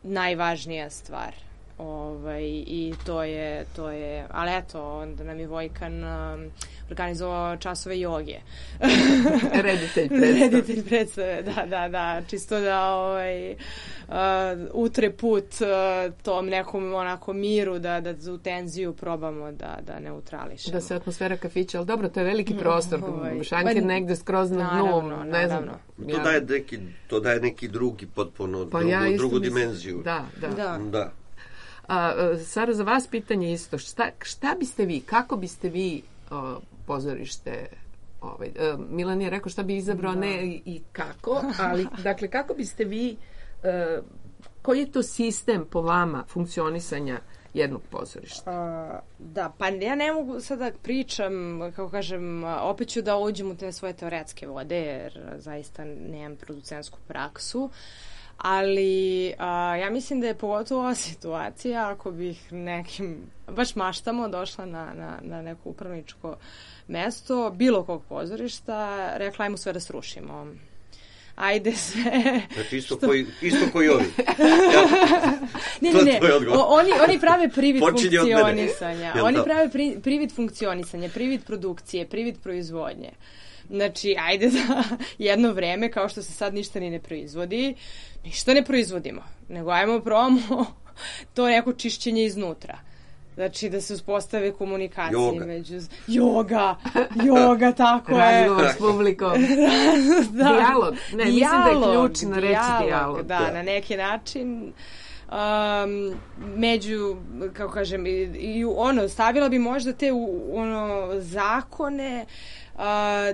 najvažnija stvar. Ovaj, i to je, to je, ali eto, onda nam je Vojkan um, organizovao časove joge. Reditelj predstave. Reditelj predstave, da, da, da, čisto da ovaj, uh, utre put uh, tom nekom onako miru, da, da za tenziju probamo da, da neutrališemo. Da se atmosfera kafića, ali dobro, to je veliki prostor, ovaj, šanker negde skroz na dnu, naravno, ne znam. naravno. To, Ja. daje neki, to daje neki drugi, potpuno Pa drugu, ja isto drugu mislim- dimenziju. Da, da. Da. Da. A, Sara, za vas pitanje isto. Šta, šta biste vi, kako biste vi o, pozorište, ovaj, e, Milan je rekao šta bi izabrao, Da. ne i, i kako, ali dakle, kako biste vi, e, koji je to sistem po vama funkcionisanja jednog pozorišta? Uh, da, pa ja ne mogu sada da pričam, kako kažem, opet ću da uđem u te svoje teoretske vode, jer zaista nemam producentsku praksu, ali a, ja mislim da je pogotovo ova situacija, ako bih nekim, baš maštamo, došla na, na, na neko upravničko mesto, bilo kog pozorišta, rekla ajmo sve da srušimo. Ajde sve. Znači isto, što... koji, isto koji ovi. Ja, ne, ne, ne. To je odgovor. O, oni, oni prave privid Počinje od mene. funkcionisanja. Jel Oni to? prave pri, privid funkcionisanja, privid produkcije, privid proizvodnje. Znači, ajde da jedno vreme, kao što se sad ništa ni ne proizvodi, ništa ne proizvodimo, nego ajmo probamo to neko čišćenje iznutra. Znači, da se uspostave komunikacije Joga. među... Joga! Joga, tako je. Razgovor s publikom. Da. Dijalog. Ne, mislim da je Dijalog, ključno reći dijalog. Da, Da. na neki način um, među, kako kažem, i, i ono, stavila bi možda te u, ono, zakone uh,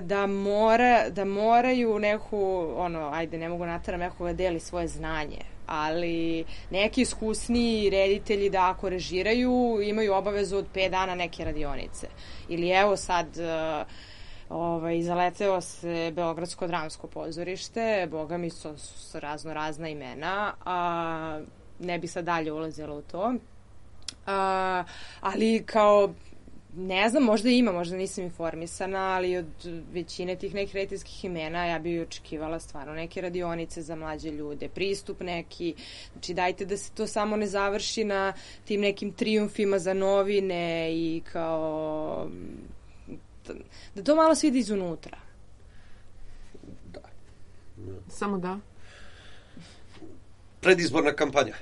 da, mora, da moraju neku, ono, ajde, ne mogu nataram nekoga da deli svoje znanje, ali neki iskusni reditelji da ako režiraju imaju obavezu od pet dana neke radionice. Ili evo sad uh, ovaj, zaleteo se Beogradsko dramsko pozorište, boga mi su, su razno razna imena, a ne bi sad dalje ulazila u to. A, ali kao ne znam, možda ima, možda nisam informisana, ali od većine tih nekih rediteljskih imena ja bih očekivala stvarno neke radionice za mlađe ljude, pristup neki, znači dajte da se to samo ne završi na tim nekim trijumfima za novine i kao da to malo svidi izunutra. Da. Samo da. Predizborna kampanja.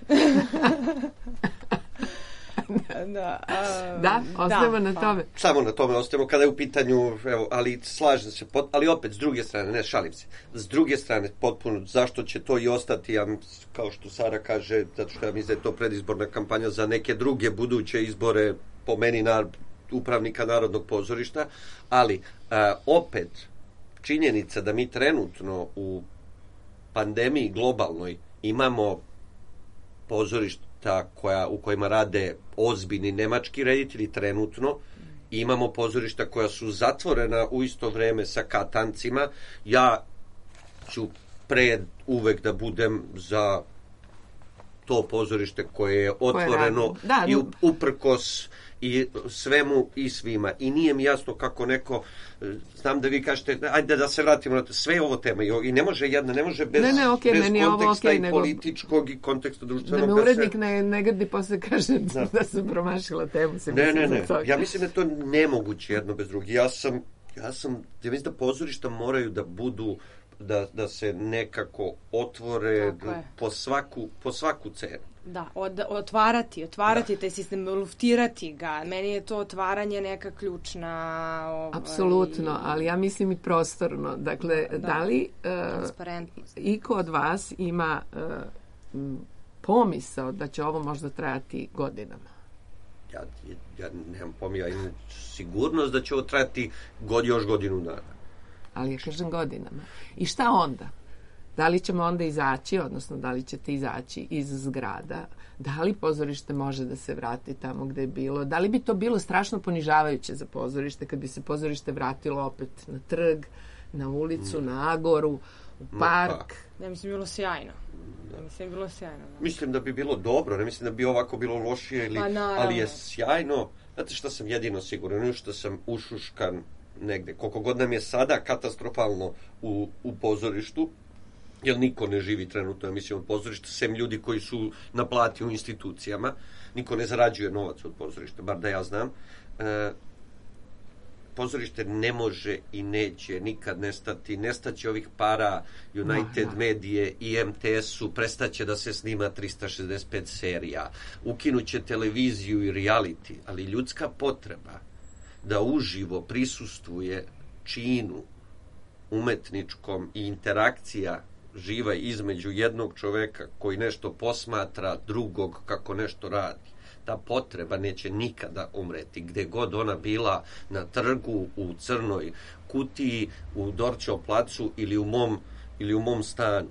Da, a, Da, ostajemo da, na pa. tome. Samo na tome ostajemo kada je u pitanju, evo, ali slažem se, pot, ali opet s druge strane, ne šalim se, s druge strane potpuno, zašto će to i ostati, ja, kao što Sara kaže, zato što ja mislim da je to predizborna kampanja za neke druge buduće izbore, po meni na upravnika Narodnog pozorišta, ali a, opet činjenica da mi trenutno u pandemiji globalnoj imamo pozorišta koja, u kojima rade ozbiljni nemački reditelji trenutno I imamo pozorišta koja su zatvorena u isto vreme sa katancima. Ja ću pre uvek da budem za to pozorište koje je otvoreno da, i uprkos i svemu i svima. I nije mi jasno kako neko, znam da vi kažete, ajde da se vratimo na to, sve je ovo tema i ne može jedna, ne može bez, ne, ne, okay, bez konteksta ovo, okay, i nego, političkog i konteksta društvenog. Da me urednik da se, ne, ne grdi posle kaže da, da sam promašila temu. Se ne, ne, ne, ja mislim da je to nemoguće jedno bez drugih. Ja sam, ja sam, ja mislim da pozorišta moraju da budu, da, da se nekako otvore po svaku, po svaku cenu. Da, od, otvarati, otvarati da. taj sistem, luftirati ga. Meni je to otvaranje neka ključna... Ovaj, apsolutno, ali ja mislim i prostorno. Dakle, da, da li uh, iko od vas ima uh, pomisao da će ovo možda trajati godinama? Ja, ja nemam pomisao, ja imam sigurnost da će ovo trajati god, još godinu dana. Ali ja kažem godinama. I šta onda? Da li ćemo onda izaći, odnosno da li ćete izaći iz zgrada? Da li pozorište može da se vrati tamo gde je bilo? Da li bi to bilo strašno ponižavajuće za pozorište kad bi se pozorište vratilo opet na trg, na ulicu, mm. na Agoru, u park? Pa. Ja mislim bilo sjajno. Ja mislim bilo sjajno. Da. Mislim da bi bilo dobro, ne mislim da bi ovako bilo lošije, ili, pa, ali je sjajno. Znate šta sam jedino siguran, što sam ušuškan negde. Koliko god nam je sada katastrofalno u, u pozorištu, jer niko ne živi trenutno, ja mislim, od pozorišta, sem ljudi koji su na plati u institucijama, niko ne zarađuje novac od pozorišta, bar da ja znam. E, pozorište ne može i neće nikad nestati, nestaće ovih para United no, Medije i M T S-u, prestaće da se snima trista šezdeset pet serija, ukinuće televiziju i reality, ali ljudska potreba da uživo prisustvuje činu umetničkom i interakcija živa između jednog čoveka koji nešto posmatra drugog kako nešto radi. Ta potreba neće nikada umreti, gde god ona bila, na trgu, u Crnoj kutiji, u Dorćol placu ili u mom, ili u mom stanu.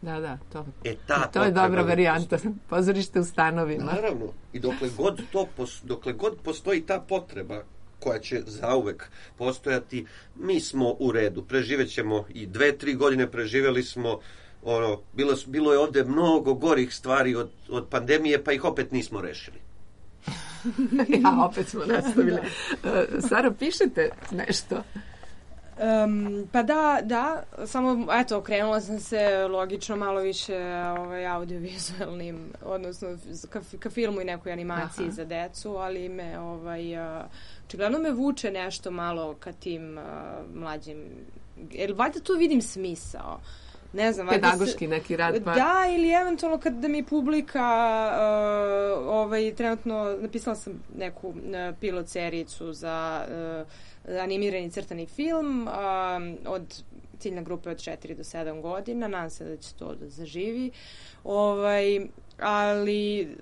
Da, da, to, e, ta to je dobra varijanta. Pozorište u stanovima. Naravno. I dokle god, to, dokle god postoji ta potreba koja će zauvek postojati, mi smo u redu. Preživećemo i dve, tri godine preživeli smo, ono, bilo, bilo je ovde mnogo gorih stvari od, od pandemije, pa ih opet nismo rešili. Ja, opet smo nastavili. Sara, pišete nešto? Um, pa da, da, samo, eto, okrenula sam se logično malo više ovaj, audiovizualnim, odnosno ka, ka filmu i nekoj animaciji Aha. za decu, ali me, ovaj, očigledno me vuče nešto malo ka tim uh, mlađim, jer valjda tu vidim smisao. Ne znam, pedagoški se, neki rad pa... Da, ili eventualno kad da mi publika uh, ovaj, trenutno napisala sam neku uh, pilot serijicu za uh, animirani crtani film uh, od ciljne grupe od četiri do sedam godina, nadam se da će to da zaživi, ovaj, ali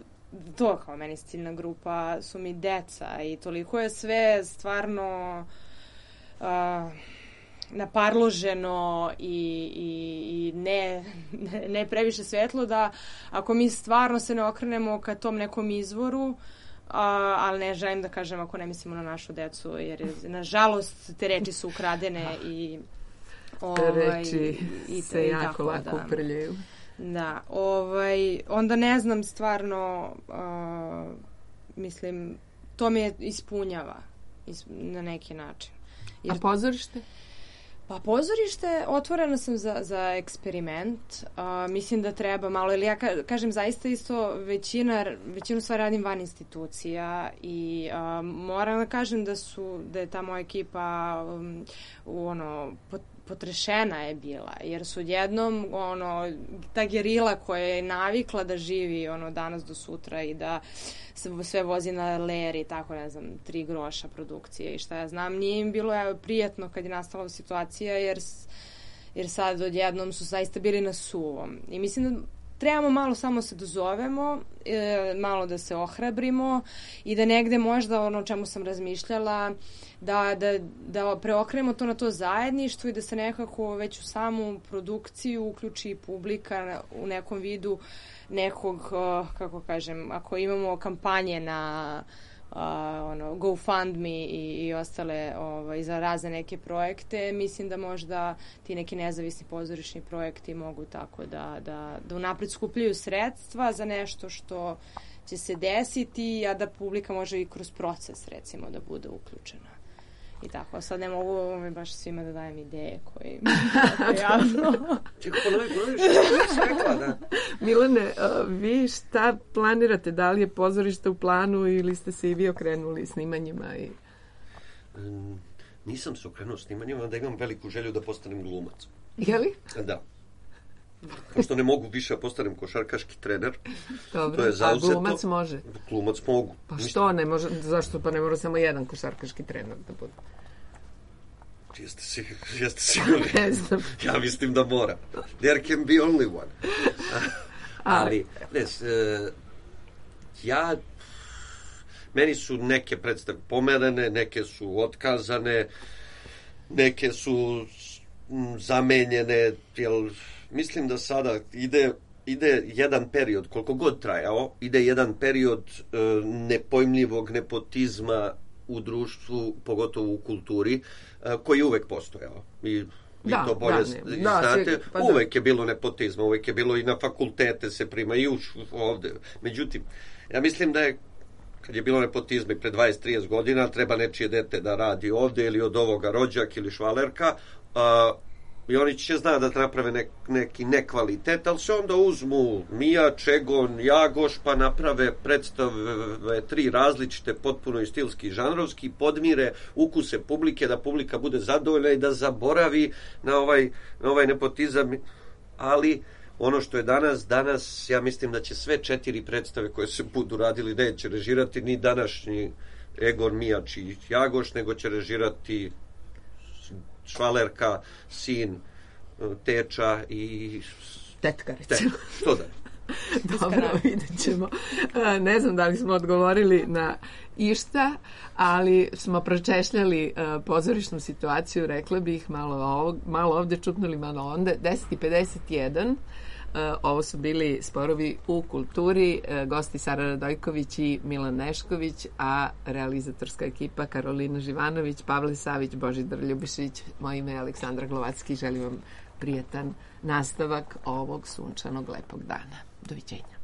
to kao meni ciljna grupa su mi deca i toliko je sve stvarno uh, naparloženo i, i, i ne, ne, ne previše svetlo, da ako mi stvarno se ne okrenemo ka tom nekom izvoru, a, ali ne želim da kažem ako ne mislimo na našu decu, jer nažalost te reči su ukradene i ovaj, te reči i, se i jako lako da, uprljaju. Da, ovaj, onda ne znam stvarno, uh, mislim, to me ispunjava isp, na neki način. Jer, a pozorište? Pa pozorište, otvorena sam za, za eksperiment. Uh, mislim da treba malo, ili ja ka, kažem zaista isto većina, većinu stvari radim van institucija i uh, moram da kažem da su, da je ta moja ekipa um, u ono, pot, potrešena je bila, jer su odjednom ono, ta gerila koja je navikla da živi ono, danas do sutra i da se sve vozi na leri, tako ne znam, tri groša produkcije i šta ja znam, nije im bilo evo, prijetno kad je nastala situacija, jer, jer sad odjednom su zaista bili na suvom. I mislim da trebamo malo samo se dozovemo, e, malo da se ohrabrimo i da negde možda ono o čemu sam razmišljala, da, da, da preokrenemo to na to zajedništvo i da se nekako već u samu produkciju uključi publika u nekom vidu nekog, kako kažem, ako imamo kampanje na a, ono, GoFundMe i, i ostale ovaj, za razne neke projekte. Mislim da možda ti neki nezavisni pozorišni projekti mogu tako da, da, da unapred skupljaju sredstva za nešto što će se desiti, a da publika može i kroz proces, recimo, da bude uključena. I tako, sad ne mogu ovaj, baš svima da dajem ideje koje tako javno. Čekaj, ponovi, ponovi, što sam rekla, da? Milane, vi šta planirate? Da li je pozorište u planu ili ste se i vi okrenuli snimanjima? I... Mm, nisam se okrenuo snimanjima, da imam veliku želju da postanem glumac. Je li? Da. Pošto ne mogu više da postanem košarkaški trener. Dobro, to je zauzeto. A glumac može? Glumac mogu. Pa što ne može? Zašto? Pa ne mora samo jedan košarkaški trener da bude. Jeste, si, jeste sigurni? Ne znam. Ja mislim da mora. There can be only one. Ali, ne, ja, meni su neke predstave pomerene, neke su otkazane, neke su zamenjene, jel, mislim da sada ide, ide jedan period, koliko god trajao, ide jedan period e, nepojmljivog nepotizma u društvu, pogotovo u kulturi, e, koji je uvek postojao. I vi da, to bolje da, ne, da, znate, pa uvek da. je bilo nepotizma, uvek je bilo i na fakultete se prima i už ovde. Međutim, ja mislim da je kad je bilo nepotizma i pre dvadeset trideset godina, treba nečije dete da radi ovde ili od ovoga rođak ili švalerka, a, i oni će zna da naprave nek, neki nekvalitet, ali se onda uzmu Mija, Čegon, Jagoš, pa naprave predstave tri različite, potpuno i stilski i žanrovski, podmire ukuse publike, da publika bude zadovoljna i da zaboravi na ovaj, na ovaj nepotizam, ali ono što je danas, danas ja mislim da će sve četiri predstave koje se budu radili neće režirati ni današnji Egon, Mijač i Jagoš, nego će režirati švalerka, sin, teča i... Tetkarica. Tet, što da je? Dobro, vidjet ćemo. Ne znam da li smo odgovorili na išta, ali smo pročešljali pozorišnu situaciju, rekla bih, malo, ovog, malo ovde čupnuli, malo onda. deset i pedeset jedan. Ovo su bili Sporovi u kulturi, gosti Sara Radojković i Milan Nešković, a realizatorska ekipa Karolina Živanović, Pavle Savić, Božidar Ljubišić, moje ime je Aleksandra Glovacki. Želim vam prijetan nastavak ovog sunčanog lepog dana. Doviđenja.